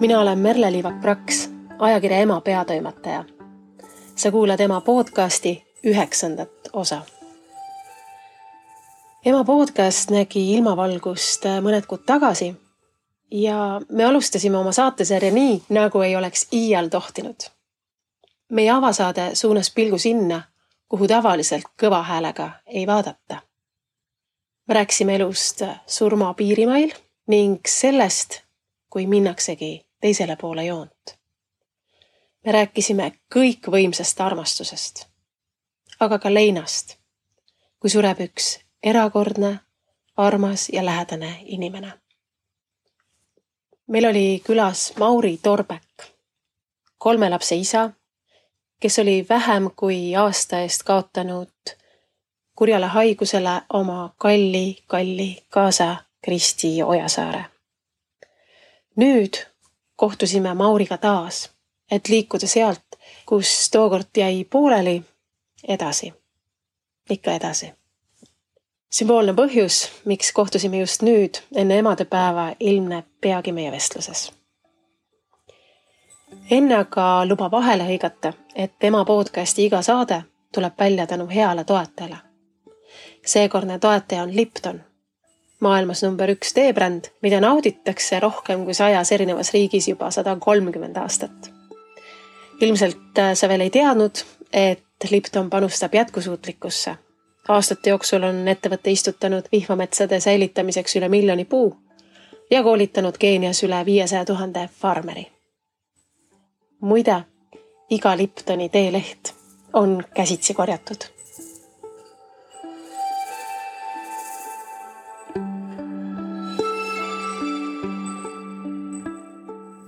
Mina olen Merle Liivak-Praks, ajakirja Ema peatoimetaja. Sa kuulad Ema podcasti 9. osa. Ema podcast nägi ilmavalgust mõned kuud tagasi ja me alustasime oma saatesarja nii, nagu ei oleks iial tohtinud. Meie avasaade suunas pilgu sinna, kuhu tavaliselt kõva häälega ei vaadata. Me rääkisime elust surma piirimail ning sellest, kui minnaksegi teisele poole joont. Me rääkisime kõikvõimsast armastusest, aga ka leinast, kui sureb üks erakordne, armas ja lähedane inimene. Meil oli külas Mauri Torbek, 3 lapse isa, kes oli vähem kui aasta eest kaotanud kurjale haigusele oma kalli kaasa Kristi Ojasaare. Nüüd kohtusime Mauriga taas, et liikuda sealt, kus tookord jäi pooleli, edasi. Ikka edasi. Sümboolne põhjus, miks kohtusime just nüüd, enne emadepäeva, ilmneb peagi meie vestluses. Enne aga luba vahele hõigata, et Ema podcasti iga saade tuleb välja tänu heale toetajale. Seekordne toetaja on Lipton, maailmas number 1 teebränd, mida nauditakse rohkem kui 100 erinevas riigis juba 130 aastat. Ilmselt sa veel ei teadnud, et Lipton panustab jätkusuutlikkusse. Aastate jooksul on ettevõtte istutanud vihmametsade säilitamiseks üle 1 miljoni puu ja koolitanud Keenias üle 500 000 farmeri. Muide, iga Liptoni teeleht on käsitsi korjatud.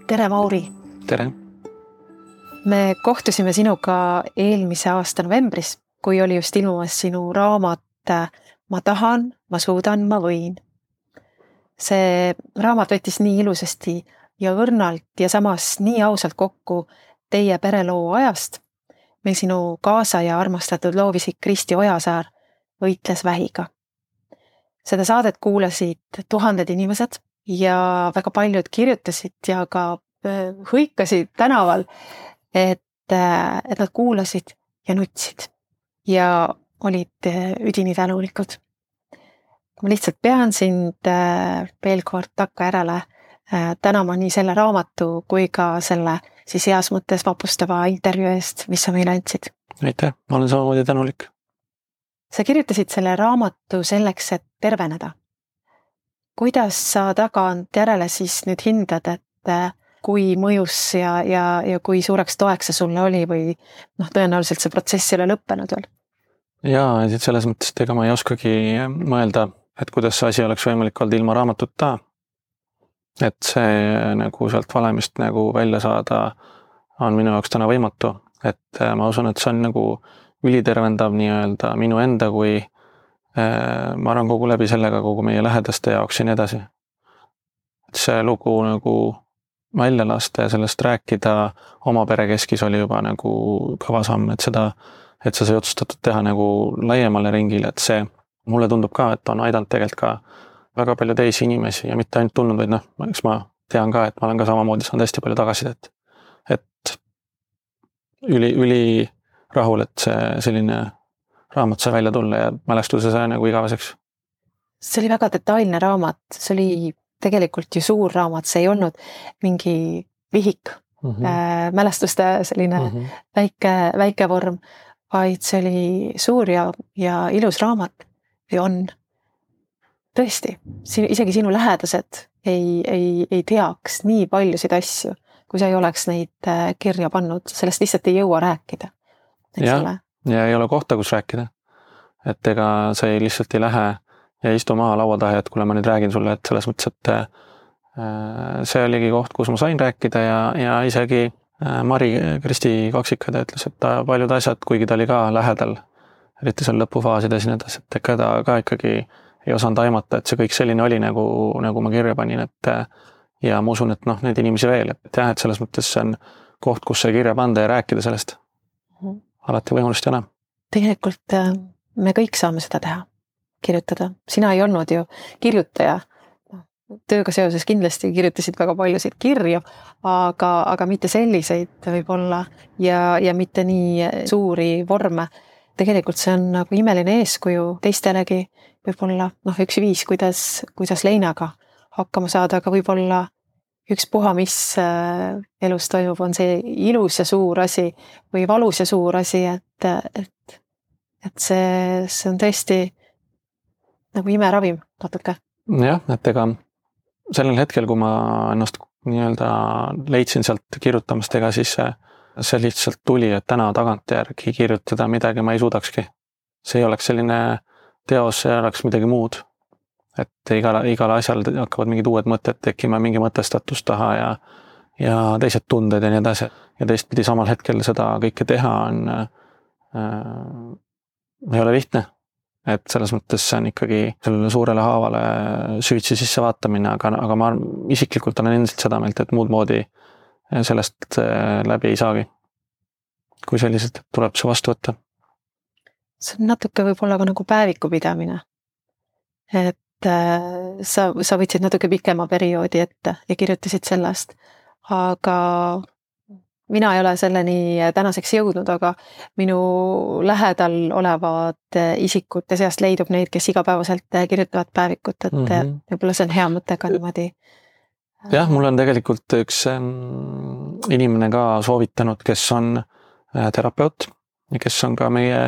Tere, Mauri! Tere! Me kohtusime sinuga eelmise aasta novembris, kui oli just ilmumas sinu raamat Ma tahan, ma suudan, ma võin. See raamat võttis nii ilusasti ja õrnalt ja samas nii ausalt kokku teie pereloo ajast, mil sinu kaasa ja armastatud loovisik Kristi Ojasaar võitles vähiga. Seda saadet kuulasid 1000 inimesed ja väga paljud kirjutasid ja ka hõikasid tänaval, et nad kuulasid ja nutsid ja olid üdini tänulikud. Ma lihtsalt pean sind veel kord takka järele tänama nii selle raamatu kui ka selle siis heas mõttes vapustava intervjuu eest, mis sa meile andsid. Aitäh, ma olen samamoodi tänulik. Sa kirjutasid selle raamatu selleks, et terveneda. Kuidas sa tagant järele siis nüüd hindad, et kui mõjus ja kui suureks toeks see sulle oli või tõenäoliselt see protsess ei ole lõppenud veel? Jaa, selles mõttes, et ega ma ei oskagi mõelda, et kuidas see asi oleks võimalik olnud ilma raamatuta. Et see nagu sealt valemist nagu välja saada on minu jaoks täna võimatu. Et ma usun, et see on nagu ülitervendav nii-öelda minu enda kui ma arvan kogu läbi sellega kogu meie lähedaste jaoks ja nii edasi. Et see lugu nagu välja lasta ja sellest rääkida oma pere keskis oli juba nagu kõva samm, et sa sai otsustatud teha nagu laiemale ringile, et see mulle tundub ka, et on aidanud tegelikult ka väga palju teisi inimesi ja mitte ainult tulnud, vaid eks ma tean ka, et ma olen ka samamoodi saanud hästi palju tagasidet. Et üli rahul, et see selline raamat sai välja tulla ja mälestuse sai nagu igaveseks. See oli väga detailne raamat, see oli tegelikult ju suur raamat, see ei olnud mingi vihik, mälestuste selline väike vorm, vaid see oli suur ja ilus raamat või on. Tõesti, isegi sinu lähedased ei teaks nii paljusid asju, kui sa ei oleks neid kirja pannud, sellest lihtsalt ei jõua rääkida. Ja ei ole kohta, kus rääkida. Et ega sa lihtsalt ei lähe ja istu maha laua taha, et kuule ma nüüd räägin sulle, et selles mõttes, et see oligi koht, kus ma sain rääkida ja isegi Mari Kristi kaksikada ütles, et ta paljud asjad, kuigi ta oli ka lähedal, eriti seal lõpufaasides ja nii edasi, et ega ta ka ikkagi ei osanud aimata, et see kõik selline oli, nagu ma kirja panin, et ja ma usun, et neid inimesi veel, et jah, et selles mõttes see on koht, kus sai kirja panda ja rääkida sellest. Alati võimalust ei ole. Tegelikult me kõik saame seda teha, kirjutada. Sina ei olnud ju kirjutaja tööga seoses kindlasti kirjutasid väga paljusid kirju, aga mitte selliseid võib-olla ja mitte nii suuri vorme. Tegelikult see on nagu imeline eeskuju teistelegi, võib-olla üks viis, kuidas leinaga hakkama saada, aga võib-olla ükspuha, mis elus toimub, on see ilus ja suur asi või valus ja suur asi, et see on tõesti nagu imeravim natuke. Jah, et ega sellel hetkel, kui ma ennast nii-öelda leidsin sealt kirjutamast, ega siis see lihtsalt tuli, et täna tagantjärgi kirjutada midagi ma ei suudakski. See ei oleks selline teos, see oleks midagi muud. Et igal asjal hakkavad mingid uued mõtted tekkima, mingi mõtestatus taha ja teised tunded ja nii edasi. Ja teistpidi samal hetkel seda kõike teha ei ole lihtne. Et selles mõttes see on ikkagi sellele suurele haavale süvitsi sisse vaatamine, aga ma isiklikult olen endiselt seda meelt, et muud moodi sellest läbi ei saagi. Kui selliselt tuleb see vastu võtta. See on natuke võib-olla ka nagu päeviku pidamine. Et sa võtsid natuke pikema perioodi ette ja kirjutasid sellest, aga mina ei ole selleni tänaseks jõudnud, aga minu lähedal olevad isikute seast leidub neid, kes igapäevaselt kirjutavad päevikut, et võib-olla see on hea mõte ka niimoodi. Jah, mul on tegelikult üks inimene ka soovitanud, kes on terapeut ja kes on ka meie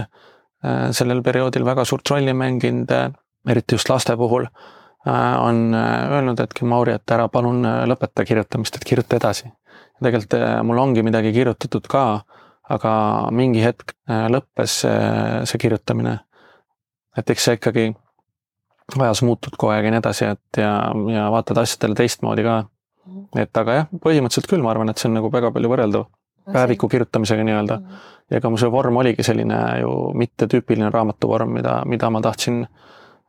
sellel perioodil väga suurt rolli mänginud, eriti just laste puhul, on öelnud, et Mauri, et ära palun lõpeta kirjutamist, et kirjuta edasi. Tegelikult mul ongi midagi kirjutatud ka, aga mingi hetk lõppes see kirjutamine. Et eks see ikkagi ajas muutud kogu aeg ja nii edasi, et ja vaatad asjadele teistmoodi ka. Et aga jah, põhimõtteliselt küll ma arvan, et see on nagu väga palju võrreldav päeviku kirjutamisega nii-öelda. Ja ka mu see vorm oligi selline ju mitte tüüpiline raamatuvorm, mida ma tahtsin,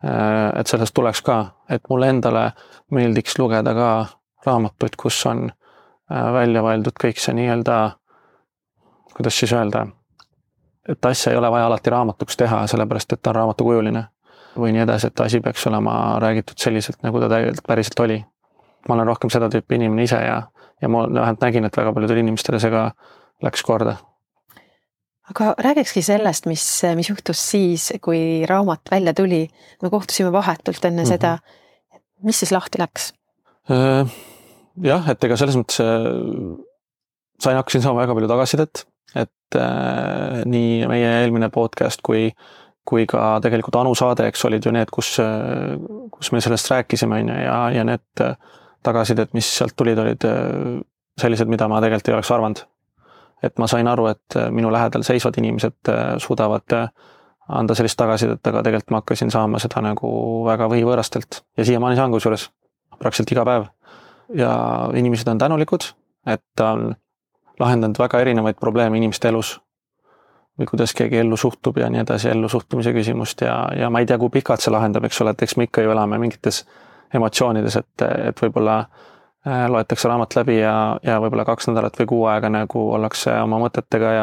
et sellest tuleks ka, et mulle endale meeldiks lugeda ka raamatuid, kus on välja vaeldud kõik see nii-öelda, kuidas siis öelda, et asja ei ole vaja alati raamatuks teha, sellepärast, et ta on raamatukujuline või nii edasi, et asi peaks olema räägitud selliselt, nagu ta päriselt oli. Ma olen rohkem seda tüüpi inimene ise ja ma vähemalt nägin, et väga paljudel inimestele see ka läks korda. Aga räägikski sellest, mis juhtus siis, kui raamat välja tuli. Me kohtusime vahetult enne seda. Mis siis lahti läks? Jah, et ega selles mõttes hakkasin saama väga palju tagasisidet, et nii meie eelmine podcast kui ka tegelikult Anu saade, eks olid ju need, kus me sellest rääkisime ja need tagasisidet, mis sealt tulid, olid sellised, mida ma tegelikult ei oleks arvanud. Et ma sain aru, et minu lähedal seisvad inimesed suudavad anda sellist tagasisidet, aga tegelikult ma hakkasin saama seda nagu väga võivõõrastelt ja siiamaani saan kusjuures praktiliselt iga päev. Ja inimesed on tänulikud, et ta on lahendanud väga erinevaid probleeme inimeste elus või kuidas keegi ellu suhtub ja nii edasi, ellu suhtumise küsimust ja ma ei tea, kui pikalt see lahendab, eks ole, et eks me ikka ju elame mingites emotsioonides, et võib-olla loetakse raamat läbi ja võib-olla 2 nädalat või 6 aega nagu ollakse oma mõtetega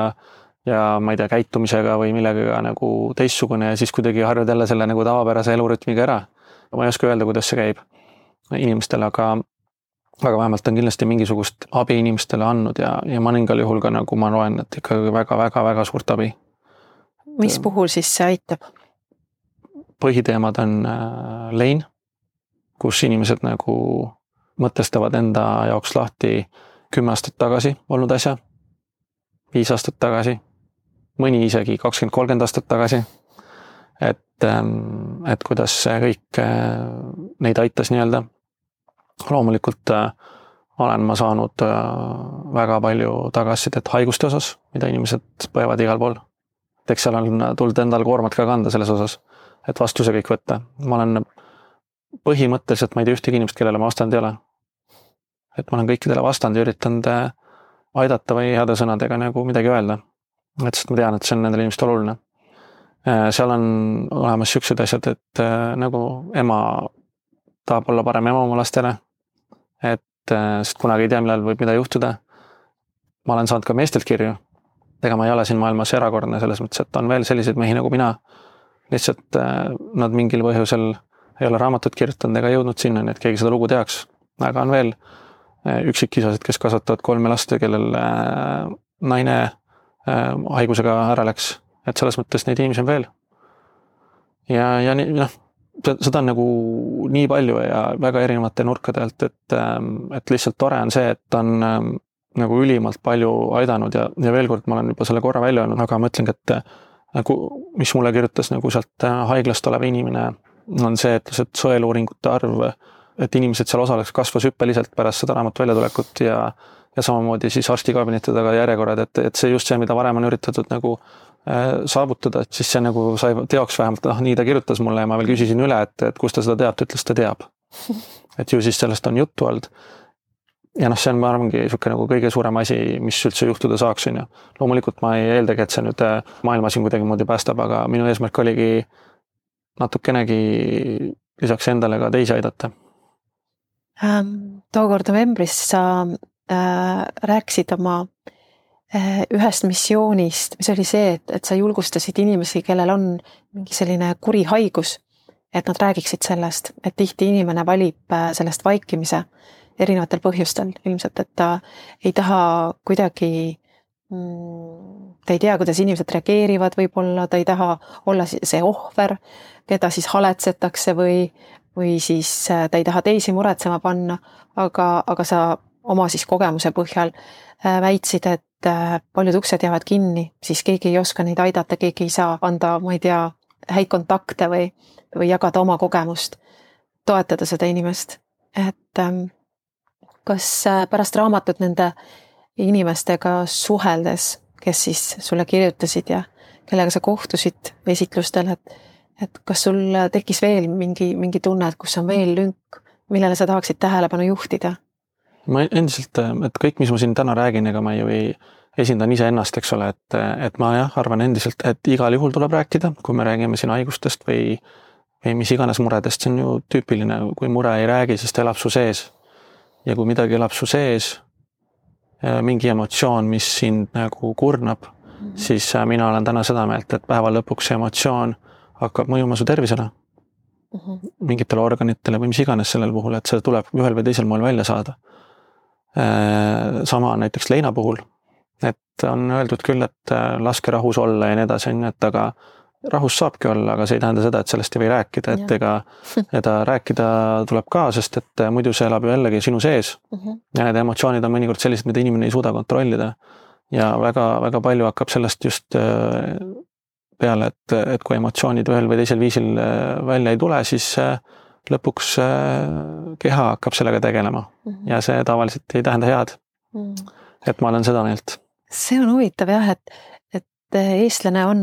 ja ma ei tea, käitumisega või millega nagu teistsugune ja siis kuidagi harjud jälle selle nagu tavapärase elurütmiga ära. Ma ei oska öelda, kuidas see käib inimestele, aga vähemalt on kindlasti mingisugust abi inimestele andnud ja mõningal juhul ka nagu ma loen, et ikkagi väga suurt abi. Mis puhul siis see aitab? Põhiteemad on lein, kus inimesed nagu mõtestavad enda jaoks lahti 10 aastat tagasi olnud asja, 5 aastat tagasi, mõni isegi 20-30 aastat tagasi, et kuidas see kõik neid aitas nii-öelda. Loomulikult olen ma saanud väga palju tagasisidet haiguste osas, mida inimesed põevad igal pool. Eks seal on tulnud endal koormat ka kanda selles osas, et vastuse kõik võtta. Ma olen põhimõtteliselt, ma ei tea ühtegi inimest, kellele ma vastanud ei ole. Et ma olen kõikidele vastanud ja üritanud aidata või heade sõnadega nagu midagi öelda. Et sest ma tean, et see on nendele inimestel oluline. Seal on olemas siuksed asjad, et nagu ema tahab olla parem ema oma lastele, sest kunagi ei tea, millal võib mida juhtuda. Ma olen saanud ka meestelt kirju. Ega ma ei ole siin maailmas erakordne selles mõttes, et on veel selliseid mehi nagu mina. Lihtsalt nad mingil põhjusel ei ole raamatut kirjutanud ega jõudnud sinna, et keegi seda lugu teaks. Aga on veel üksikisasid, kes kasvatavad 3 last, kellel naine haigusega ära läks. Et selles mõttes neid inimesi on veel. Ja seda on nagu nii palju ja väga erinevate nurkade alt, et lihtsalt tore on see, et ta on nagu ülimalt palju aidanud ja veel kord ma olen juba selle korra välja öelnud, aga ma ütlengi, et mis mulle kirjutas nagu sealt haiglast olev inimene, on see, et lihtsalt sõeluuringute arv, et inimesed seal osaleks kasvas hüppeliselt pärast seda raamatu väljatulekut ja samamoodi siis arstikabineti taga järjekorrad, et see just see, mida varem on üritatud nagu saavutada, et siis see nagu sai teoks vähemalt, nii ta kirjutas mulle ja ma veel küsisin üle, et kus ta seda teab, ta ütles, ta teab. Et ju siis sellest on juttu olnud. Ja see on, ma arvangi, nagu kõige suurem asi, mis üldse juhtuda saaks. Loomulikult ma ei eeldagi, et see nüüd maailma siin kuidagi moodi päästab, aga minu eesmärk oligi natukenegi lisaks endale ka teisi aidata. Tookord novembris sa rääkisid oma ühest missioonist, mis oli see, et sa julgustasid inimesi, kellel on mingi selline kuri haigus, et nad räägiksid sellest, et tihti inimene valib sellest vaikimise erinevatel põhjustel ilmselt, et ta ei taha kuidagi, ta ei tea, kuidas inimesed reageerivad võib-olla, ta ei taha olla see ohver, keda siis haletsetakse või siis ta ei taha teisi muretsema panna, aga sa oma siis kogemuse põhjal väitsid, et paljud uksed jäävad kinni, siis keegi ei oska neid aidata, keegi ei saa anda, ma ei tea, häid kontakte või jagada oma kogemust, toetada seda inimest. Et kas pärast raamatut nende inimestega suheldes, kes siis sulle kirjutasid ja kellega sa kohtusid esitlustel, et kas sul tekkis veel mingi tunne, et kus on veel lünk, millele sa tahaksid tähelepanu juhtida? Ma endiselt, et kõik, mis ma siin täna räägin, ega ma ju ei esindan ise ennast, eks ole, et ma arvan endiselt, et igal juhul tuleb rääkida, kui me räägime siin haigustest või mis iganes muredest, see on ju tüüpiline, kui mure ei räägi, siis ta elab su sees. Ja kui midagi elab su sees, mingi emotsioon, mis sind nagu kurnab, siis mina olen täna seda meelt, et päeva lõpuks see emotsioon hakkab mõjuma su tervisele, mingitele organitele või mis iganes sellel puhul, et see tuleb ühel või teisel moel välja saada. Sama näiteks leina puhul, et on öeldud küll, et laske rahus olla ja nii edasi, et aga rahus saabki olla, aga see ei tähenda seda, et sellest ei või rääkida, et ega rääkida tuleb ka, sest et muidu see elab ju jällegi sinu sees ja need emotsioonid on mõnikord sellised, mida inimene ei suuda kontrollida ja väga, väga palju hakkab sellest just peale, et kui emotsioonid ühel või teisel viisil välja ei tule, siis lõpuks keha hakkab sellega tegelema ja see tavaliselt ei tähenda head. Et ma olen seda meelt. See on huvitav jah, et eestlane on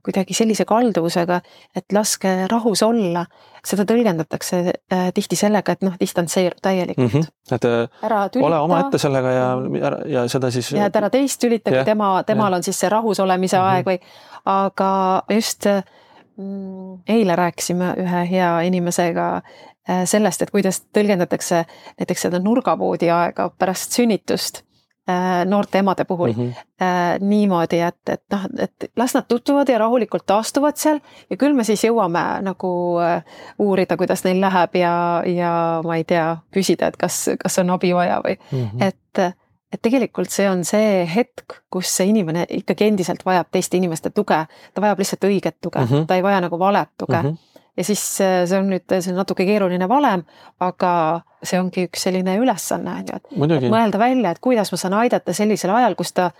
kuidagi sellise kalduvusega, et laske rahus olla. Seda tõlgendatakse tihti sellega, et distantseeru täielikult. Et ole oma ette sellega ja seda siis... Ja et ära teist tülita, kui temal on siis see rahus olemise aeg või... Aga just eile rääkisime ühe hea inimesega sellest, et kuidas tõlgendatakse näiteks seda nurgapoodi aega pärast sünnitust noorte emade puhul niimoodi, et las nad tutvuvad ja rahulikult taastuvad seal ja küll me siis jõuame nagu uurida, kuidas neil läheb ja ma ei tea, küsida, et kas on abi vaja või et tegelikult see on see hetk, kus see inimene ikkagi endiselt vajab teiste inimeste tuge, ta vajab lihtsalt õiget tuge, ta ei vaja nagu valet tuge. Ja siis see on natuke keeruline valem, aga see ongi üks selline ülesanne, et mõelda välja, et kuidas ma saan aidata sellisel ajal, kus ta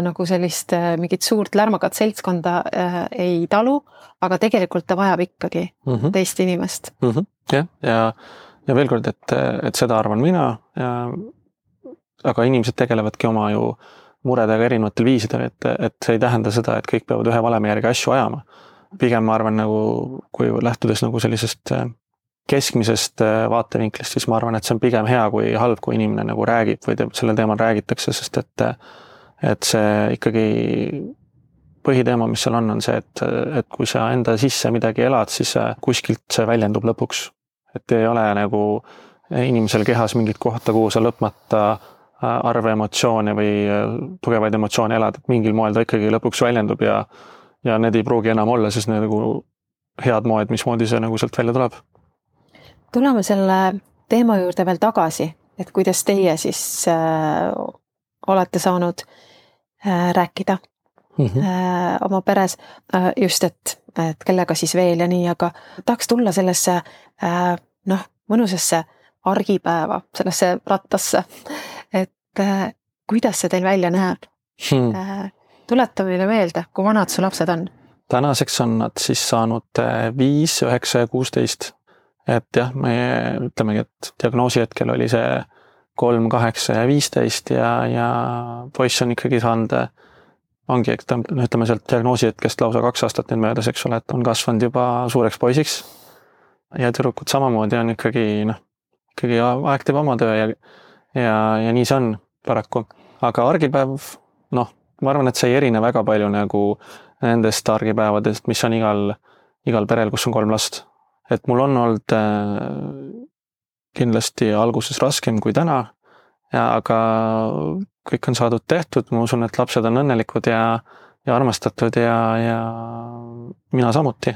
nagu sellist mingit suurt lärmakat seltskonda ei talu, aga tegelikult ta vajab ikkagi teist inimest. Ja veel kord, et seda arvan mina, aga inimesed tegelevadki oma ju muredega erinevatel viisidel, et see ei tähenda seda, et kõik peavad ühe valemi järgi asju ajama. Pigem ma arvan, nagu, kui lähtudes nagu sellisest keskmisest vaatevinklist, siis ma arvan, et see on pigem hea kui halb, kui inimene nagu räägib või sellel teemal räägitakse, sest et see ikkagi põhiteema, mis seal on see, et kui sa enda sisse midagi elad, siis kuskilt see väljendub lõpuks. Et ei ole nagu inimesel kehas mingit kohta, kuhu sa lõpmata arve emotsioone või tugevaid emotsioone elad, et mingil moel ta ikkagi lõpuks väljendub ja need ei pruugi enam olla, siis nagu head moed, mismoodi see nagu sealt välja tuleb. Tuleme selle teema juurde veel tagasi, et kuidas teie siis olete saanud rääkida oma peres just, et kellega siis veel ja nii, aga tahaks tulla sellesse mõnusasse argipäeva, sellesse rattasse, et kuidas see teil välja näeb? Tuleta meile meelde, kui vanad su lapsed on? Tänaseks on nad siis saanud 5, 9 ja 16. Et jah, me ütlemegi, et diagnoosi hetkel oli see 3, 8 ja 15 ja poiss on ikkagi saanud, ongi, ütleme sealt diagnoosi hetkest lausa 2 aastat nüüd möödas, eks ole, et on kasvanud juba suureks poisiks. Ja tüdrukud samamoodi on ikkagi aeg teeb oma töö ja nii see on paraku. Aga argipäev, ma arvan, et see ei erine väga palju nagu nendest argipäevadest, mis on igal perel, kus on 3 last. Et mul on olnud kindlasti alguses raskem kui täna, aga kõik on saadud tehtud, ma usun, et lapsed on õnnelikud ja armastatud ja mina samuti.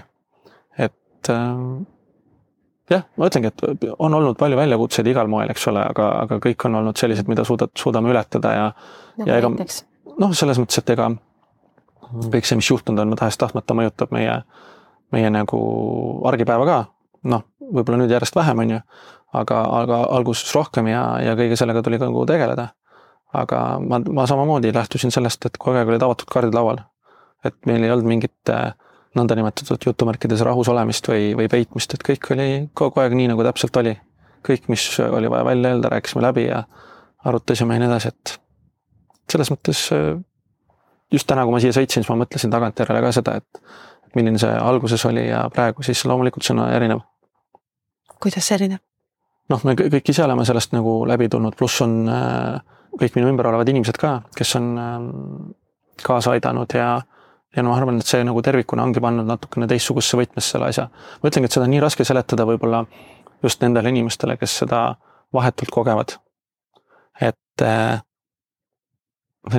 Et jah, ma ütlengi, et on olnud palju väljakutseid igal moel, eks ole, aga kõik on olnud sellised, mida suudame ületada ja ega, selles mõttes, et ega kõik see, mis juhtunud on, tahes-tahtmata mõjutab meie nagu argipäeva ka, võib-olla nüüd järjest vähem on ju, aga alguses rohkem ja kõige sellega tuli ka nagu tegeleda. Aga ma samamoodi lähtusin sellest, et kogu aeg olid avatud kaardid laual. Et meil ei olnud mingit nõndanimetatud jutumärkides rahus olemist või peitmist, et kõik oli kogu aeg nii, nagu täpselt oli. Kõik, mis oli vaja välja öelda, rääkisime läbi ja arutasime ja nii edasi, et selles mõttes just täna, kui ma siia sõitsin, siis ma mõtlesin tagantjärele ka seda, et milline see alguses oli ja praegu siis loomulikult see on erinev. Kuidas see erinev? Me kõik ise oleme sellest nagu läbi tulnud, pluss on kõik minu ümber olevad inimesed ka, kes on kaasa aidanud ja ma arvan, et see nagu tervikuna ongi pannud natukene teistsugusesse võtmesse selle asja. Ma ütlengi, et seda on nii raske seletada võib-olla just nendele inimestele, kes seda vahetult kogevad. Et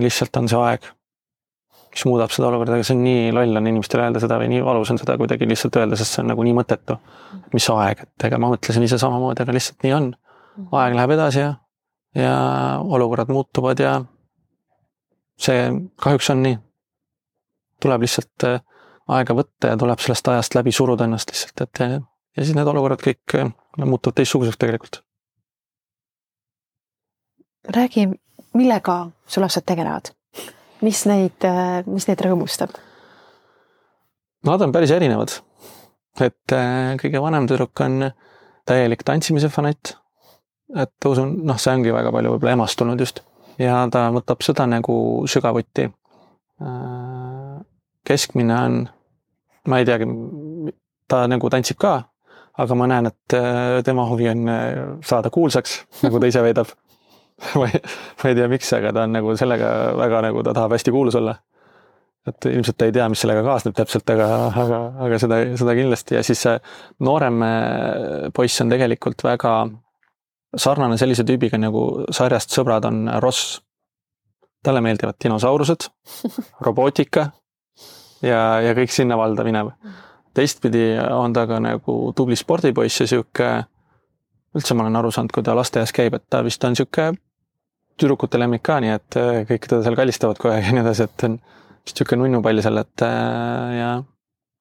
lihtsalt on see aeg, mis muudab seda olukorda, aga see on nii loll on inimestele öelda seda või nii valus on seda kuidagi lihtsalt öelda, sest see on nagu nii mõttetu. Mis aeg, et ega ma mõtlesin ise samamoodi, aga lihtsalt nii on. Aeg läheb edasi ja olukorrad muutuvad ja see kahjuks on nii. Tuleb lihtsalt aega võtta ja tuleb sellest ajast läbi suruda ennast lihtsalt, et ja siis need olukorrad kõik muutuvad teistsuguseks tegelikult. Räägi, millega su lapsed tegelevad? Mis neid rõõmustab? Nad on päris erinevad. Et kõige vanem tüdruk on täielik tantsimise fanatt. Et usun, see ongi väga palju võib-olla emastunud just. Ja ta võtab seda nagu sügavuti. Keskmine on, ma ei teagi, ta nagu tantsib ka, aga ma näen, et tema huvi on saada kuulsaks, nagu ta ise veedab. Ma ei tea miks, aga ta on nagu sellega väga nagu ta tahab hästi kuulus olla. Et ilmselt ta ei tea, mis sellega kaasneb täpselt, aga seda kindlasti. Ja siis see noorem poiss on tegelikult väga sarnane sellise tüübiga nagu sarjast Sõbrad on Ross. Talle meeldivad dinosaurused, robootika ja kõik sinna valda minev. Teistpidi on ta ka nagu tubli spordipoiss ja siuke, üldse ma olen aru saanud, kui ta lasteaias käib, et ta vist on siuke tüdrukute lemmik ka, nii et kõik teda seal kallistavad kohe ja nii edasi, et on vist siuke nunnupall seal, et ja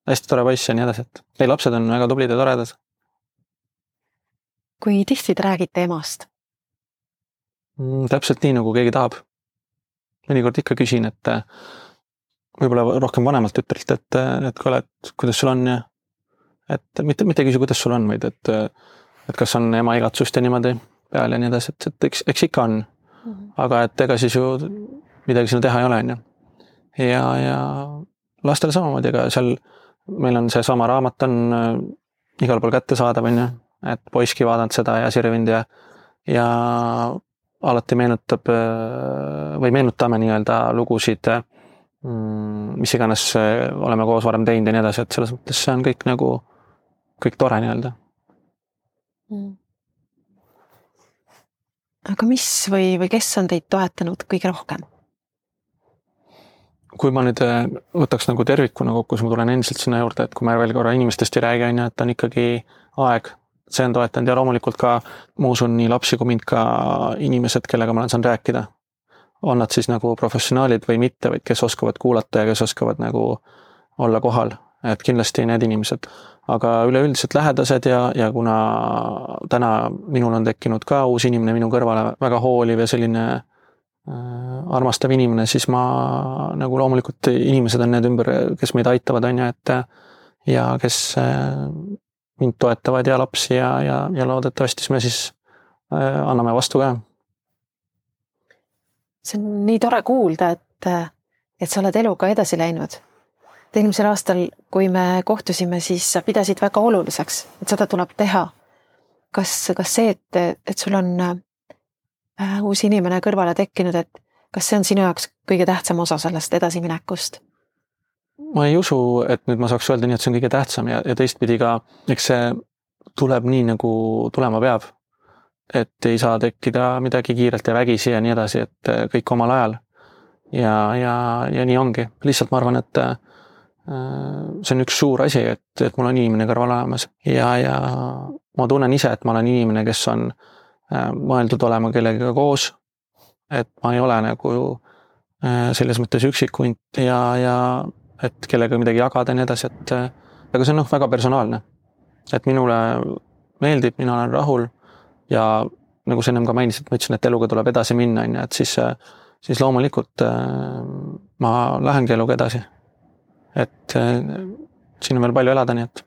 hästi tore poiss ja nii edasi, et neil lapsed on väga tublid ja toredad. Kui tihti te räägite emast? Täpselt nii, nagu keegi tahab. Mõnikord ikka küsin, et võib-olla rohkem vanemalt ütrelt, et kuidas sul on ja et mitte küsi, kuidas sul on, vaid et kas on ema igatsust ja niimoodi peal ja nii edasi, et eks ikka on. Aga et ega siis ju midagi sinna teha ei ole, ja lastel samamoodi, ega seal meil on see sama raamat on igal pool kätte saadav, et poiski vaadanud seda ja sirvind ja alati meenutame nii-öelda lugusid, mis iganes oleme koos varem teinud ja nii edasi, et selles mõttes see on kõik nagu kõik tore nii-öelda. Aga mis või kes on teid toetanud kõige rohkem? kui ma nüüd võtaks nagu tervikuna kokku, siis ma tulen endiselt sinna juurde, et kui me veel korra inimestest ei räägi, on ju, et on ikkagi aeg, see on toetanud ja loomulikult ka ma usun nii lapsi kui mind ka inimesed, kellega ma olen saanud rääkida. On nad siis nagu professionaalid või mitte, vaid kes oskavad kuulata ja kes oskavad nagu olla kohal, et kindlasti need inimesed. Aga üleüldiselt lähedased ja kuna täna minul on tekkinud ka uus inimene minu kõrvale, väga hooliv ja selline armastav inimene, siis ma nagu loomulikult inimesed on need ümber, kes meid aitavad, on ju, et ja kes mind toetavad ja lapsi ja loodetavasti me siis anname vastu ka. See on nii tore kuulda, et sa oled eluga edasi läinud. Eelmisel aastal, kui me kohtusime, siis sa pidasid väga oluliseks, et seda tuleb teha. Kas see, et sul on uus inimene kõrvale tekkinud, et kas see on sinu jaoks kõige tähtsam osa sellest edasiminekust? Ma ei usu, et nüüd ma saaks öelda nii, et see on kõige tähtsam ja teistpidi ka, eks see tuleb nii, nagu tulema peab. Et ei saa tekkida midagi kiirelt ja vägisi ja nii edasi, et kõik omal ajal. Ja nii ongi. Lihtsalt ma arvan, et see on üks suur asi, et mul on inimene kõrval olemas. Ja ma tunnen ise, et ma olen inimene, kes on mõeldud olema kellegagi koos, et ma ei ole nagu selles mõttes üksikunt ja et kellega midagi jagada ja nii edasi, aga see on väga personaalne. Et minule meeldib, mina olen rahul ja nagu sa ennem ka mainisid, ma ütlesin, et eluga tuleb edasi minna, et siis loomulikult ma lähengi eluga edasi. Et siin on veel palju elada, nii et.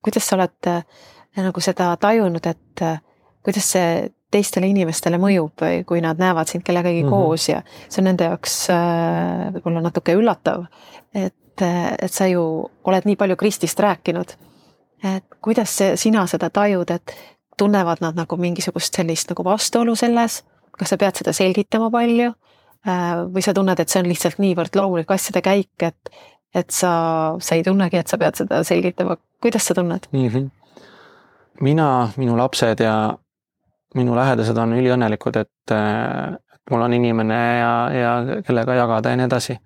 Kuidas sa oled nagu seda tajunud, et kuidas see teistele inimestele mõjub, kui nad näevad sind kellegagi koos ja see on nende jaoks võib-olla natuke üllatav, et sa ju oled nii palju Kristist rääkinud. Et kuidas sina seda tajud, et tunnevad nad nagu mingisugust sellist nagu vastuolu selles, kas sa pead seda selgitama palju või sa tunned, et see on lihtsalt niivõrd loomulik asjade käik, et sa ei tunnegi, et sa pead seda selgitama. Kuidas sa tunned? Mina, minu lapsed ja minu lähedased on üliõnnelikud, et mul on inimene ja kellega jagada ja nii edasi.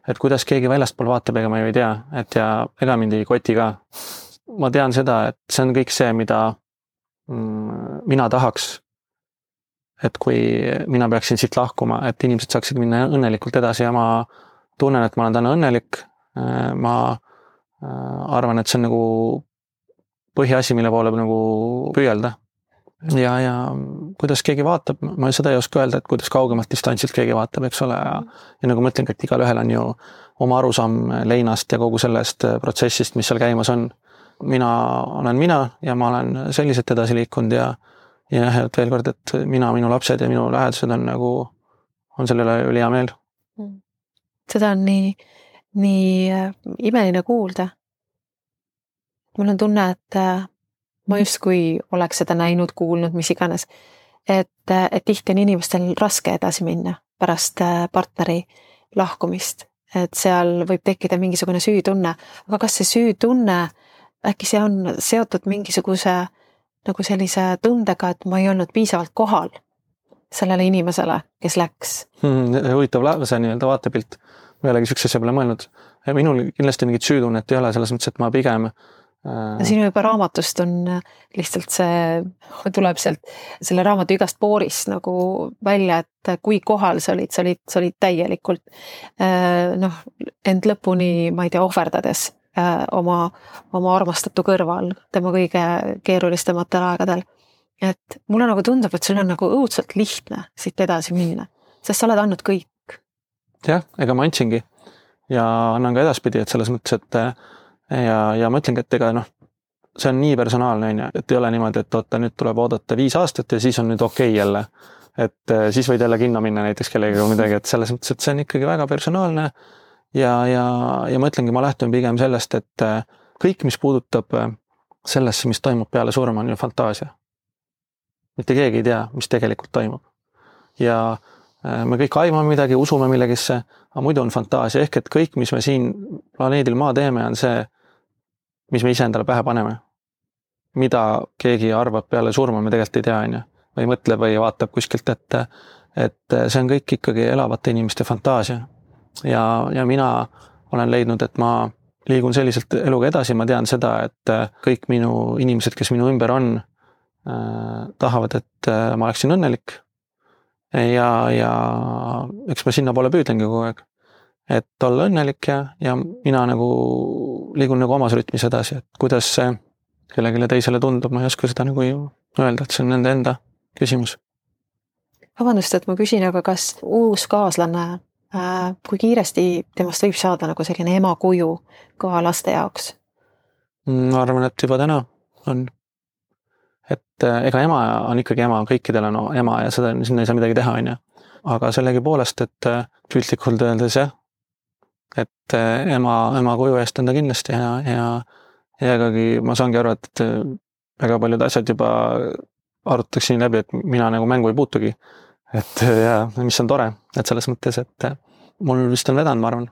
Et kuidas keegi väljastpool vaatab, ega ma ju ei tea, et ja ega mind ei koti ka. Ma tean seda, et see on kõik see, mida mina tahaks, et kui mina peaksin siit lahkuma, et inimesed saaksid minna õnnelikult edasi ja ma tunnen, et ma olen täna õnnelik. Ma arvan, et see on nagu põhiasi, mille poole nagu püüelda. Ja kuidas keegi vaatab, ma seda ei oska öelda, et kuidas kaugemalt distantsilt keegi vaatab, eks ole. Ja nagu ma ütlen, et igal ühel on ju oma arusaam leinast ja kogu sellest protsessist, mis seal käimas on. Mina olen mina ja ma olen selliselt edasi liikunud ja et veel kord, et minu lapsed ja minu lähedased on sellele üli hea meel. Seda on nii imeline kuulda. Mul on tunne, et ma justkui oleks seda näinud, kuulnud, mis iganes, et tihti on inimestel raske edasi minna pärast partneri lahkumist, et seal võib tekkida mingisugune süütunne, aga kas see süütunne, äkki see on seotud mingisuguse nagu sellise tundega, et ma ei olnud piisavalt kohal sellele inimesele, kes läks? Huvitav see nii-öelda vaatepilt, ma ei olegi sükse asja peale mõelnud. Minul kindlasti mingit süütunnet ei ole, selles mõttes, et ma pigem Sinu juba raamatust on lihtsalt see tuleb sealt selle raamatu igast poorist nagu välja, et kui kohal sa olid täielikult end lõpuni, ma ei tea, ohverdades oma armastatu kõrval tema kõige keerulistematel aegadel. Et mulle nagu tundub, et sul on nagu õudselt lihtne siit edasi minna, sest sa oled andnud kõik. Jah, ega ma andsingi ja annan ka edaspidi, et selles mõttes, et ja ma ütlengi, et ega see on nii personaalne, et ei ole niimoodi, et nüüd tuleb oodata 5 aastat ja siis on nüüd okei jälle. Et siis võid jälle kinno minna näiteks kellegagi midagi, et selles mõttes, et see on ikkagi väga personaalne ja ma ütlengi, ma lähtun pigem sellest, et kõik, mis puudutab sellesse, mis toimub peale surma, on ju fantaasia. Mitte keegi ei tea, mis tegelikult toimub. Ja me kõik aimame midagi, usume millegisse, aga muidu on fantaasia, ehk et kõik, mis me siin planeedil maa teeme, on see, mis me ise endale pähe paneme. Mida keegi arvab peale surma, me tegelikult ei tea, või mõtleb või vaatab kuskilt, et see on kõik ikkagi elavate inimeste fantaasia. Ja mina olen leidnud, et ma liigun selliselt eluga edasi, ma tean seda, et kõik minu inimesed, kes minu ümber on, tahavad, et ma oleksin õnnelik. Ja eks ma sinna poole püüdlengi kogu aeg, et olla õnnelik ja mina nagu liigun nagu omas rütmis edasi, et kuidas see kellelegi teisele tundub, ma ei oska seda nagu öelda, et see on nende enda küsimus. Vabandust, et ma küsin, aga kas uus kaaslane, kui kiiresti temast võib saada nagu selline ema kuju ka laste jaoks? Ma arvan, et juba täna on. Et ega ema on ikkagi ema, kõikidel on ema ja seda, sinna ei saa midagi teha, on ju. Aga sellegi poolest, et piltlikult öeldes et ema kuju eest on ta kindlasti ja ikkagi ma saangi aru, et väga paljud asjad juba arutatakse nii läbi, et mina nagu mängu ei puutugi. Et ja mis on tore, et selles mõttes, et mul vist on vedanud, ma arvan.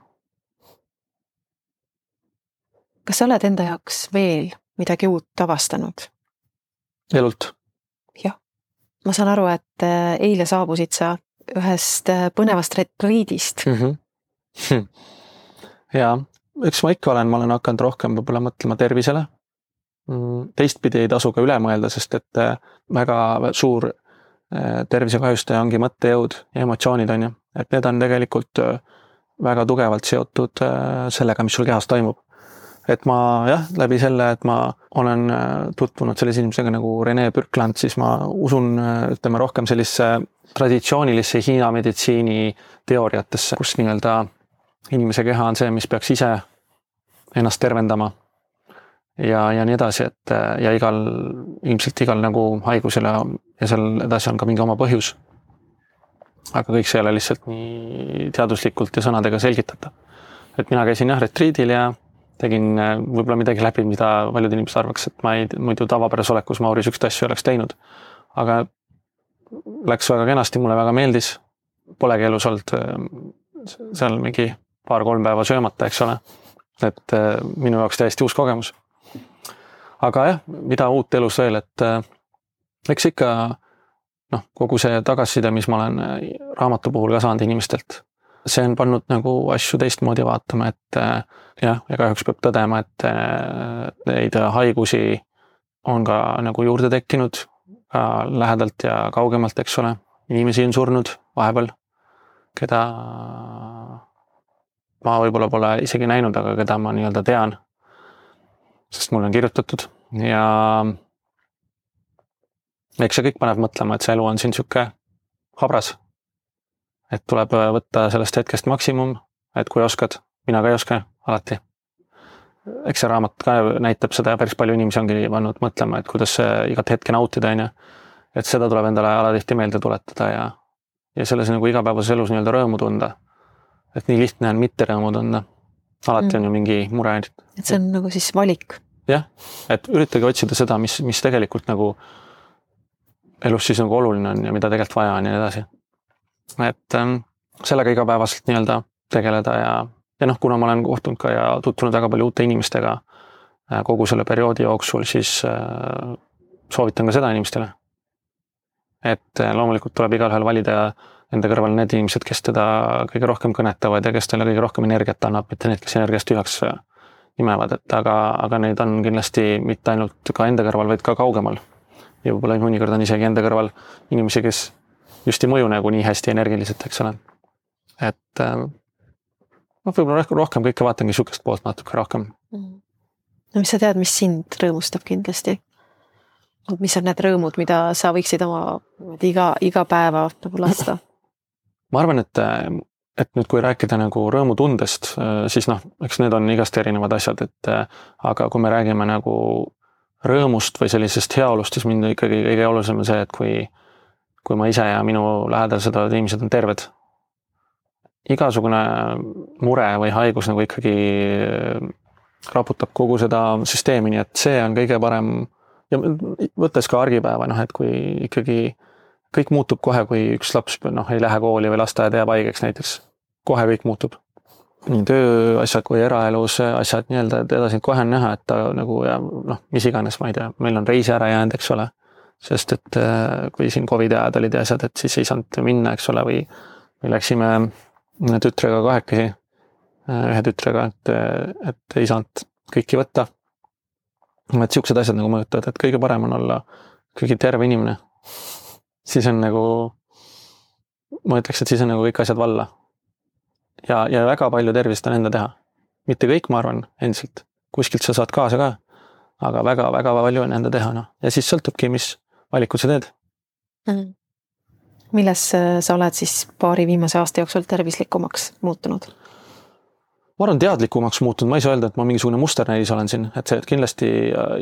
Kas sa oled enda jaoks veel midagi uut avastanud? Elult? Jah. Ma saan aru, et eile saabusid sa ühest põnevast retriidist. Ja, eks ma ikka olen hakanud rohkem võib-olla mõtlema tervisele. Teistpidi ei tasu ka üle mõelda, sest et väga suur tervisekahjustaja ongi mõttejõud ja emotsioonid, on ju. Et need on tegelikult väga tugevalt seotud sellega, mis sul kehas toimub. Et ma läbi selle, et ma olen tutvunud sellise inimesega nagu Rene Bürkland, siis ma usun, ütleme rohkem sellise traditsioonilisse Hiina meditsiini teooriatesse, kus nii-öelda inimese keha on see, mis peaks ise ennast tervendama ja nii edasi, et ja ilmselt igal nagu haigusele ja seal edasi on ka mingi oma põhjus. Aga kõik see ei ole lihtsalt nii teaduslikult ja sõnadega selgitada. Et mina käisin retriidil ja tegin võib-olla midagi läbi, mida paljud inimesed arvaks, et ma muidu tavapäras olekus Mauri sükst asju oleks teinud. Aga läks väga kenasti, mulle väga meeldis. Polegi elus olnud seal mingi 2-3 päeva söömata, eks ole. Et minu jaoks täiesti uus kogemus. Aga mida uut elus veel, et eks ikka kogu see tagasiside, mis ma olen raamatu puhul ka saanud inimestelt, see on pannud nagu asju teistmoodi vaatama, et ja kahjuks peab tõdema, et neid haigusi on ka nagu juurde tekkinud ka lähedalt ja kaugemalt, eks ole. Inimesi on surnud vahepeal, keda ma võib-olla pole isegi näinud, aga keda ma nii-öelda tean, sest mulle on kirjutatud ja eks see kõik paneb mõtlema, et see elu on siin siuke habras. Et tuleb võtta sellest hetkest maksimum, et kui oskad, mina ka ei oska alati. Eks see raamat ka näitab seda ja päris palju inimesi ongi pannud mõtlema, et kuidas igat hetke nautida, on ju. Et seda tuleb endale alatihti meelde tuletada ja selles nagu igapäevases elus nii-öelda rõõmu tunda. Et nii lihtne on mitte rõõmu tunda. Alati on ju mingi mure. Et see on nagu siis valik. Jah, et üritage otsida seda, mis tegelikult nagu elus siis nagu oluline on ja mida tegelikult vaja on ja nii edasi. Et sellega igapäevaselt nii-öelda tegeleda ja kuna ma olen kohtunud ka ja tutvunud väga palju uute inimestega kogu selle perioodi jooksul, siis soovitan ka seda inimestele. Et loomulikult tuleb igalühel valida enda kõrval need inimesed, kes teda kõige rohkem kõnetavad ja kes talle kõige rohkem energiat annab, mitte need, kes energiast tühjaks imevad, et aga neid on kindlasti mitte ainult ka enda kõrval, vaid ka kaugemal. Ja võib-olla mõnikord on isegi enda kõrval inimesi, kes just ei mõju nagu nii hästi energiliselt, eks ole. Et võib-olla rohkem kõike vaatangi sukest poolt natuke rohkem. No mis sa tead, mis sind rõõmustab kindlasti? Mis on need rõõmud, mida sa võiksid oma iga päeva nagu lasta? Ma arvan, et nüüd kui rääkida nagu rõõmutundest, siis eks need on igast erinevad asjad, aga kui me räägime nagu rõõmust või sellisest heaolust, siis mind ikkagi kõige olulisem on see, et kui ma ise ja minu lähedased inimesed on terved. Igasugune mure või haigus nagu ikkagi raputab kogu seda süsteemi, nii et see on kõige parem ja võttes ka argipäeva, et kui ikkagi kõik muutub kohe, kui üks laps ei lähe kooli või lasteaeda jääb haigeks näiteks, kohe kõik muutub. Nii tööasjad kui eraelus asjad nii-öelda edasi kohe on näha, et ta nagu mis iganes, ma ei tea, meil on reisi ära jäänud, eks ole, sest et kui siin Covidi ajad olid ja asjad, et siis ei saanud minna, eks ole, või läksime tütrega kahekesi, ühe tütrega, et ei saanud kõiki võtta. Et siuksed asjad nagu mõjutavad, et kõige parem on olla kõige terve inimene. Siis on nagu, ma ütleks, et siis on nagu kõik asjad valla. Ja väga palju tervist on enda teha. Mitte kõik, ma arvan, endiselt. Kuskilt sa saad kaasa ka, aga väga palju on enda teha. No. Ja siis sõltubki, mis valikud sa teed. Milles sa oled siis paari viimase aasta jooksul tervislikumaks muutunud? Ma arvan teadlikumaks muutunud, ma ei saa öelda, et ma mingisugune musternäis olen siin, et see kindlasti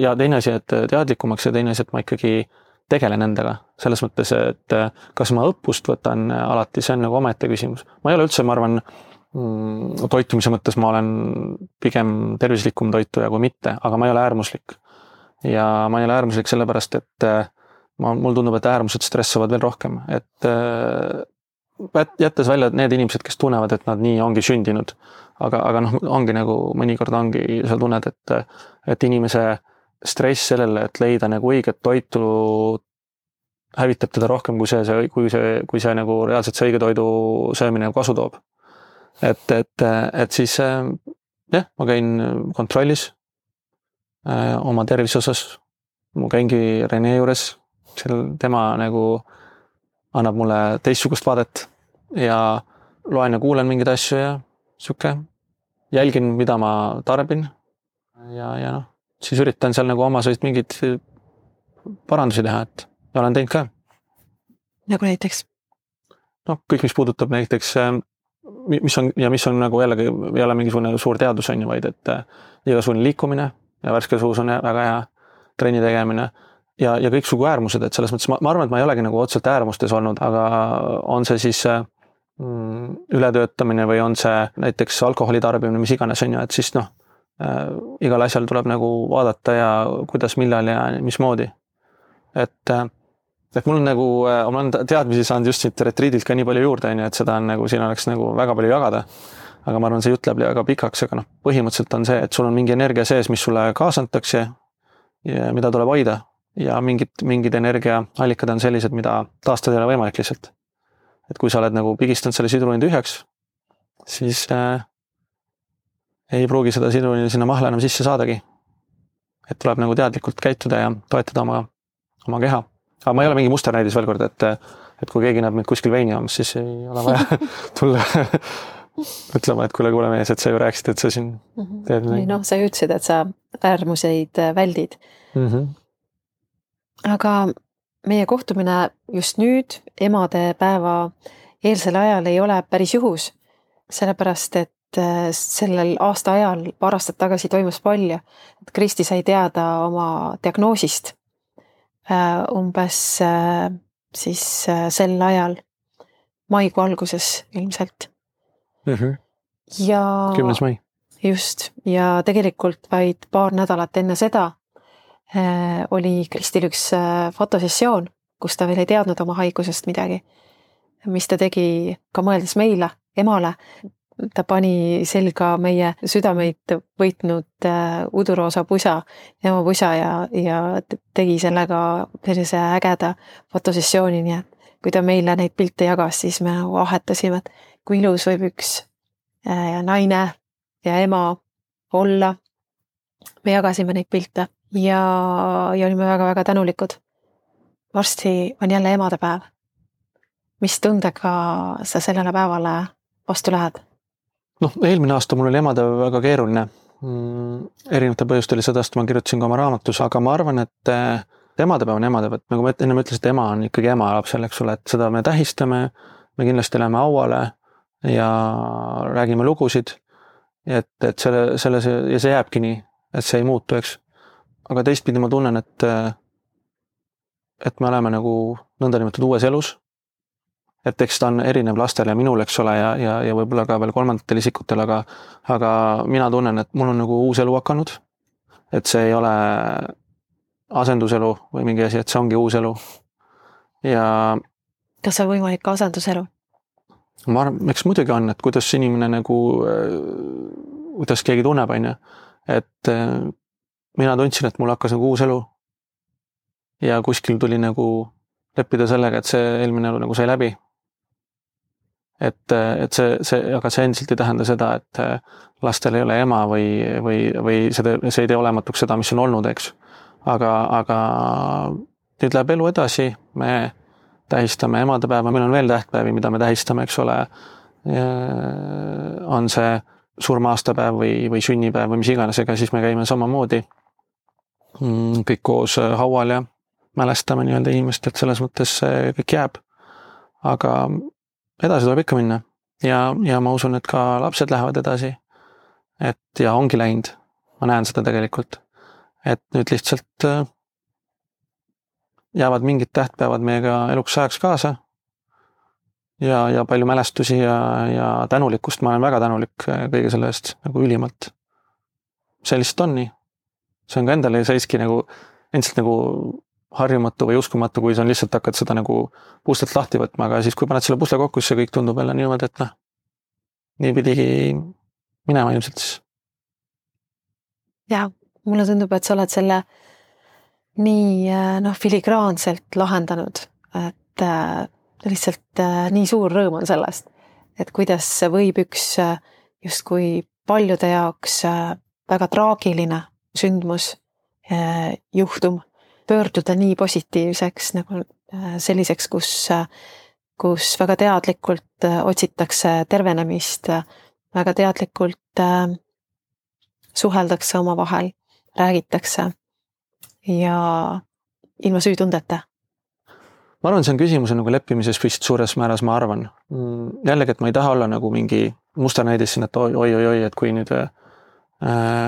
ja teine asi, et teadlikumaks ja teine asi, et ma ikkagi tegelen endaga. Selles mõttes, et kas ma õppust võtan alati, see on nagu omaette küsimus. Ma ei ole üldse, ma arvan, toitumise mõttes ma olen pigem tervislikum toituja kui mitte, aga ma ei ole äärmuslik. Ja ma ei ole äärmuslik sellepärast, et mul tundub, et äärmused stressavad veel rohkem. Et jättes välja need inimesed, kes tunnevad, et nad nii ongi sündinud, aga noh, ongi nagu mõnikord ongi, sa tunned, et inimese stress sellele, et leida nagu õiget toitu hävitab teda rohkem kui see nagu reaalselt see õige toidu söömine kasu toob. Et siis jah, ma käin kontrollis oma tervise osas, ma käingi Rene juures, tema nagu annab mulle teistsugust vaadet ja loen ja kuulen mingeid asju ja siuke, jälgin, mida ma tarbin ja noh, siis üritan seal nagu omaseid mingeid parandusi teha, et ja olen teinud ka. Nagu näiteks? No kõik, mis puudutab näiteks, mis on nagu jällegi, ei ole mingisugune suur teadus on ju, vaid et igasugune liikumine ja värske suus on väga hea trenni tegemine ja kõik sugu äärmused, et selles mõttes ma arvan, et ma ei olegi nagu otseselt äärmustes olnud, aga on see siis ületöötamine või on see näiteks alkoholi tarbimine, mis iganes on ju, et siis noh, igal asjal tuleb nagu vaadata ja kuidas, millal ja mismoodi. Et mul on nagu, ma olen teadmisi saanud just siit retriidilt ka nii palju juurde, et seda on nagu, siin oleks nagu väga palju jagada. Aga ma arvan, see jutt läheb väga pikaks, aga noh, põhimõtteliselt on see, et sul on mingi energia sees, mis sulle kaasantakse ja mida tuleb hoida ja mingid energiaallikad on sellised, mida taastada ei ole võimalik lihtsalt. Et kui sa oled nagu pigistanud selle sidruni tühjaks, siis ei pruugi seda sidruni sinna mahla enam sisse saadagi. Et tuleb nagu teadlikult käituda ja toetada oma keha. Aga ma ei ole mingi musternäidis veel kord, et kui keegi näeb mind kuskil veini joomas, siis ei ole vaja tulla ütlema, et kuule mees, et sa ju rääkisid, et sa siin teed midagi. No, sa ütlesid, et sa äärmuseid väldid. Aga meie kohtumine just nüüd, emadepäeva eelsel ajal ei ole päris juhus, sellepärast, et sellel aasta ajal paar aastat tagasi toimus palju, et Kristi sai teada oma diagnoosist umbes siis sel ajal maikuu alguses ilmselt. Ja 10. mai. Just, ja tegelikult vaid paar nädalat enne seda oli Kristil üks fotosessioon, kus ta veel ei teadnud oma haigusest midagi, mis ta tegi ka mõeldes meile, emale. Ta pani selga meie südameid võitnud uduroosa pusa, ema pusa ja tegi sellega sellise ägeda fotosessiooni, nii et kui ta meile neid pilte jagas, siis me ahetasime, et kui ilus võib üks naine ja ema olla. Me jagasime neid pilte ja olime väga-väga tänulikud. Varsti on jälle emadepäev. Mis tundega sa sellele päevale vastu lähed? Noh, eelmine aasta mul oli emadepäev väga keeruline. Erinevate põhjustel sedast ma kirjutasin ka oma raamatus, aga ma arvan, et emadepäev on emadepäev. Nagu ma enne ütlesin, et ema on ikkagi ema lapsel, eks ole, et seda me tähistame, me kindlasti läheme auale ja räägime lugusid, et selle ja see jääbki nii, et see ei muutu, eks. Aga teistpidi ma tunnen, et me oleme nagu nõndanimetatud uues elus. Et eks ta on erinev lastel ja minul, eks ole, ja võib-olla ka veel kolmandatel isikutel, aga mina tunnen, et mul on nagu uus elu hakanud, et see ei ole asenduselu või mingi asi, et see ongi uus elu. Ja kas see on võimalik ka asenduselu? Ma arvan, eks muidugi on, et kuidas inimene nagu, kuidas keegi tunneb, on ju, et mina tundsin, et mul hakkas nagu uus elu ja kuskil tuli nagu leppida sellega, et see eelmine elu nagu sai läbi. Et aga see endiselt ei tähenda seda, et lastel ei ole ema või see ei tee olematuks seda, mis on olnud, eks. Aga nüüd läheb elu edasi, me tähistame emadepäeva, meil on veel tähtpäevi, mida me tähistame, eks ole. On see surma-aastapäev või sünnipäev või mis iganes, ega siis me käime samamoodi kõik koos haual ja mälestame nii-öelda inimest, et selles mõttes see kõik jääb. Aga edasi tuleb ikka minna ja ma usun, et ka lapsed lähevad edasi. Et ja ongi läinud, ma näen seda tegelikult. Et nüüd lihtsalt jäävad mingid tähtpäevad meiega eluks ajaks kaasa ja palju mälestusi ja tänulikkust, ma olen väga tänulik kõige selle eest nagu ülimalt. See lihtsalt on nii. See on ka endale seiski nagu endiselt nagu harjumatu või uskumatu, kui sa lihtsalt hakkad seda nagu puslelt lahti võtma, aga siis kui paned selle pusle kokku, siis see kõik tundub jälle niimoodi, et nii pidigi minema ilmselt siis. Ja, mulle tundub, et sa oled selle nii filigraanselt lahendanud, et lihtsalt nii suur rõõm on sellest, et kuidas võib üks justkui paljude jaoks väga traagiline sündmus, juhtum pöörduda nii positiivseks nagu selliseks, kus väga teadlikult otsitakse tervenemist, väga teadlikult suheldakse omavahel, räägitakse ja ilma süütundeta. Ma arvan, see on küsimus nagu leppimises vist suures määras, ma arvan. Jällegi, et ma ei taha olla nagu mingi musternäidis siin, et oi, et kui nüüd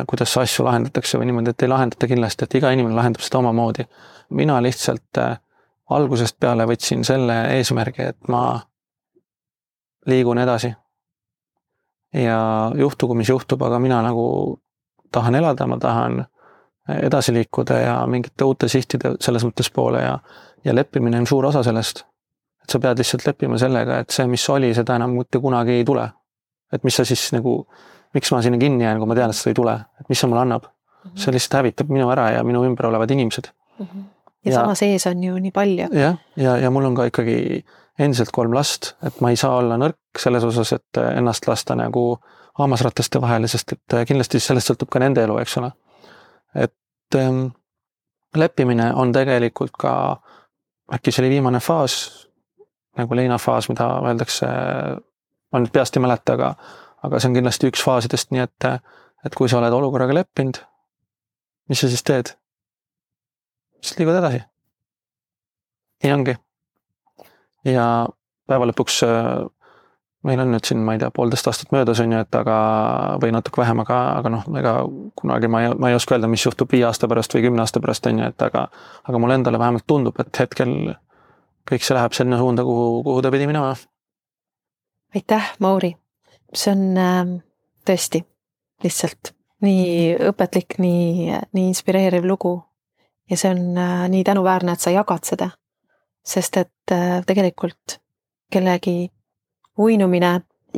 kuidas asju lahendatakse või niimoodi, et ei lahendata kindlasti, et iga inimene lahendab seda omamoodi. Mina lihtsalt algusest peale võtsin selle eesmärgi, et ma liigun edasi. Ja juhtugu, mis juhtub, aga mina nagu tahan elada, ma tahan edasi liikuda ja mingite uute sihtide selles mõttes poole ja leppimine on suur osa sellest. Et sa pead lihtsalt leppima sellega, et see, mis oli, seda enam mitte kunagi ei tule. Et mis sa siis nagu miks ma sinna kinni jään, kui ma tean, et seda ei tule, et mis see mulle annab. See lihtsalt hävitab minu ära ja minu ümber olevad inimesed. Ja sama sees on ju nii palju. Ja mul on ka ikkagi endiselt 3 last, et ma ei saa olla nõrk selles osas, et ennast lasta nagu hammasrataste vahele, sest et kindlasti sellest sõltub ka nende elu, eks ole. Et leppimine on tegelikult ka, äkki see oli viimane faas, nagu leinafaas, mida öeldakse, ma nüüd peast ei mäleta, aga see on kindlasti üks faasidest, nii et kui sa oled olukorraga leppinud, mis sa siis teed? Siis liigud edasi. Nii ongi. Ja päeva lõpuks meil on nüüd siin, ma ei tea, 1,5 aastat möödas on ju, et või natuke vähem, aga ega kunagi ma ei oska öelda, mis juhtub 5 aasta pärast või 10 aasta pärast on ju, et aga mul endale vähemalt tundub, et hetkel kõik see läheb selline suunda, kuhu ta pidi minema. Aitäh, Mauri! See on tõesti lihtsalt nii õpetlik, nii inspireeriv lugu ja see on nii tänuväärne, et sa jagad seda, sest et tegelikult kellegi uinumine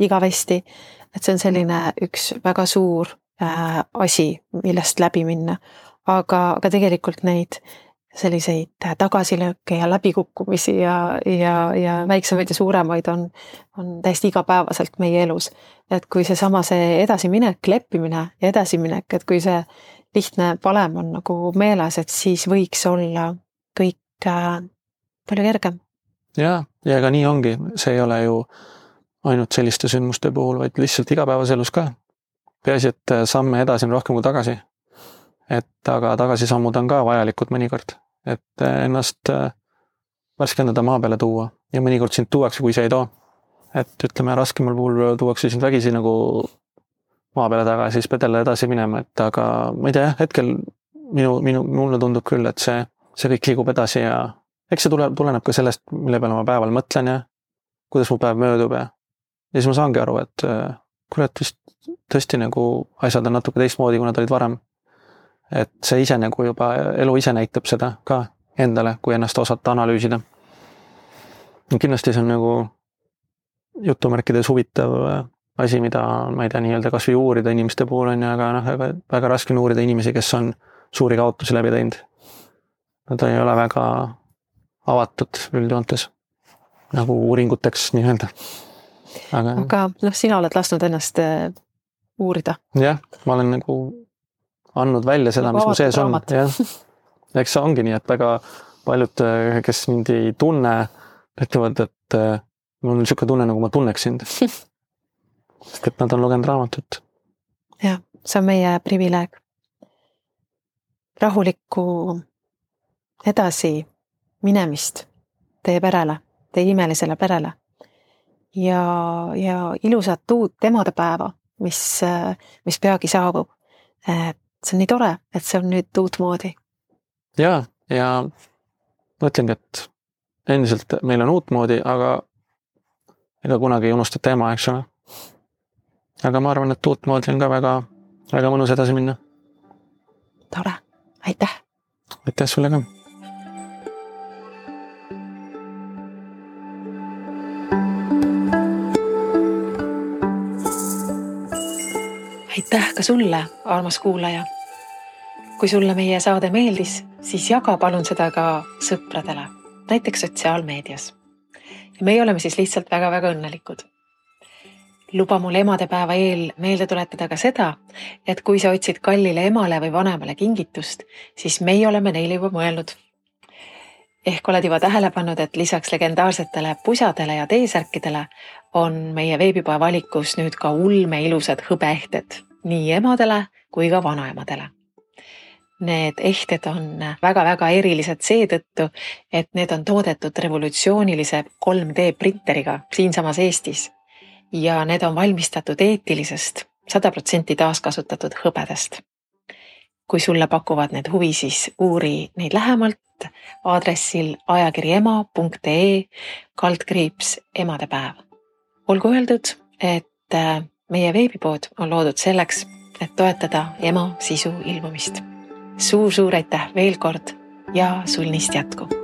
igavesti, et see on selline üks väga suur asi, millest läbi minna, aga tegelikult neid selliseid tagasilööke ja läbikukkumisi ja väiksemaid ja suuremaid on täiesti igapäevaselt meie elus. Et kui see edasiminek, leppimine ja edasiminek, et kui see lihtne valem on nagu meeles, et siis võiks olla kõik palju kergem. Ja ega nii ongi. See ei ole ju ainult selliste sündmuste puhul, vaid lihtsalt igapäevas elus ka. Peaasi, et samme edasi on rohkem kui tagasi. Aga tagasisammud on ka vajalikud mõnikord, et ennast värskendada maa peale tuua ja mõnikord sind tuuakse, kui see ei too. Et ütleme, raskemal puhul tuuakse sind vägisi nagu maa peale tagasi, siis pedele edasi minema, et aga ma ei tea, hetkel mulle tundub küll, et see kõik liigub edasi ja eks see tuleneb ka sellest, mille peale ma päeval mõtlen ja kuidas mu päev möödub ja siis ma saangi aru, et kurat vist tõesti nagu asjad on natuke teistmoodi, kui nad olid varem. Et see ise nagu juba, elu ise näitab seda ka endale, kui ennast osata analüüsida. Kindlasti see on nagu jutumärkides huvitav asi, mida ma ei tea nii-öelda kas või uurida inimeste puhul on, aga väga raske on uurida inimesi, kes on suuri kaotusi läbi teinud. nad ei ole väga avatud üldjoontes nagu uuringuteks nii-öelda. Aga sina oled lasknud ennast uurida. Jah, ma olen nagu andnud välja seda, mis mu sees on. Eks see ongi nii, et väga paljud, kes mind ei tunne, ütlevad, et mul on niisugune tunne, nagu ma tunneks sind. Sest et nad on lugenud raamatut. Jah, see on meie privileeg. Rahulikku edasi minemist teie perele, teie imelisele perele. Ja ilusat uut emadepäeva, mis peagi saabub. See on nii tore, et see on nüüd uut moodi. Ja mõtlengi, et endiselt meil on uut moodi, aga ega kunagi ei unustata ema, eks ole. Aga ma arvan, et uut moodi on ka väga, väga mõnus edasi minna. Tore, aitäh! Aitäh sulle ka! Aitäh ka sulle, armas kuulaja! Kui sulle meie saade meeldis, siis jaga palun seda ka sõpradele, näiteks sotsiaalmeedias. Ja meie oleme siis lihtsalt väga-väga õnnelikud. Luba mul emadepäeva eel meelde tuletada ka seda, et kui sa otsid kallile emale või vanemale kingitust, siis meie oleme neile juba mõelnud. Ehk oled juba tähele pannud, et lisaks legendaarsetele pusadele ja teesärkidele on meie veebipoe valikus nüüd ka ulme ilusad hõbeehted nii emadele kui ka vanaemadele. Need ehted on väga-väga erilised seetõttu, et need on toodetud revolutsioonilise 3D printeriga siinsamas Eestis ja need on valmistatud eetilisest 100% taaskasutatud hõbedast. Kui sulle pakuvad need huvi, siis uuri neid lähemalt aadressil ajakirjaema.ee/emadepäev. Olgu öeldud, et meie veebipood on loodud selleks, et toetada ema sisu ilmumist. Suur aitäh veel kord ja sulnist jätku!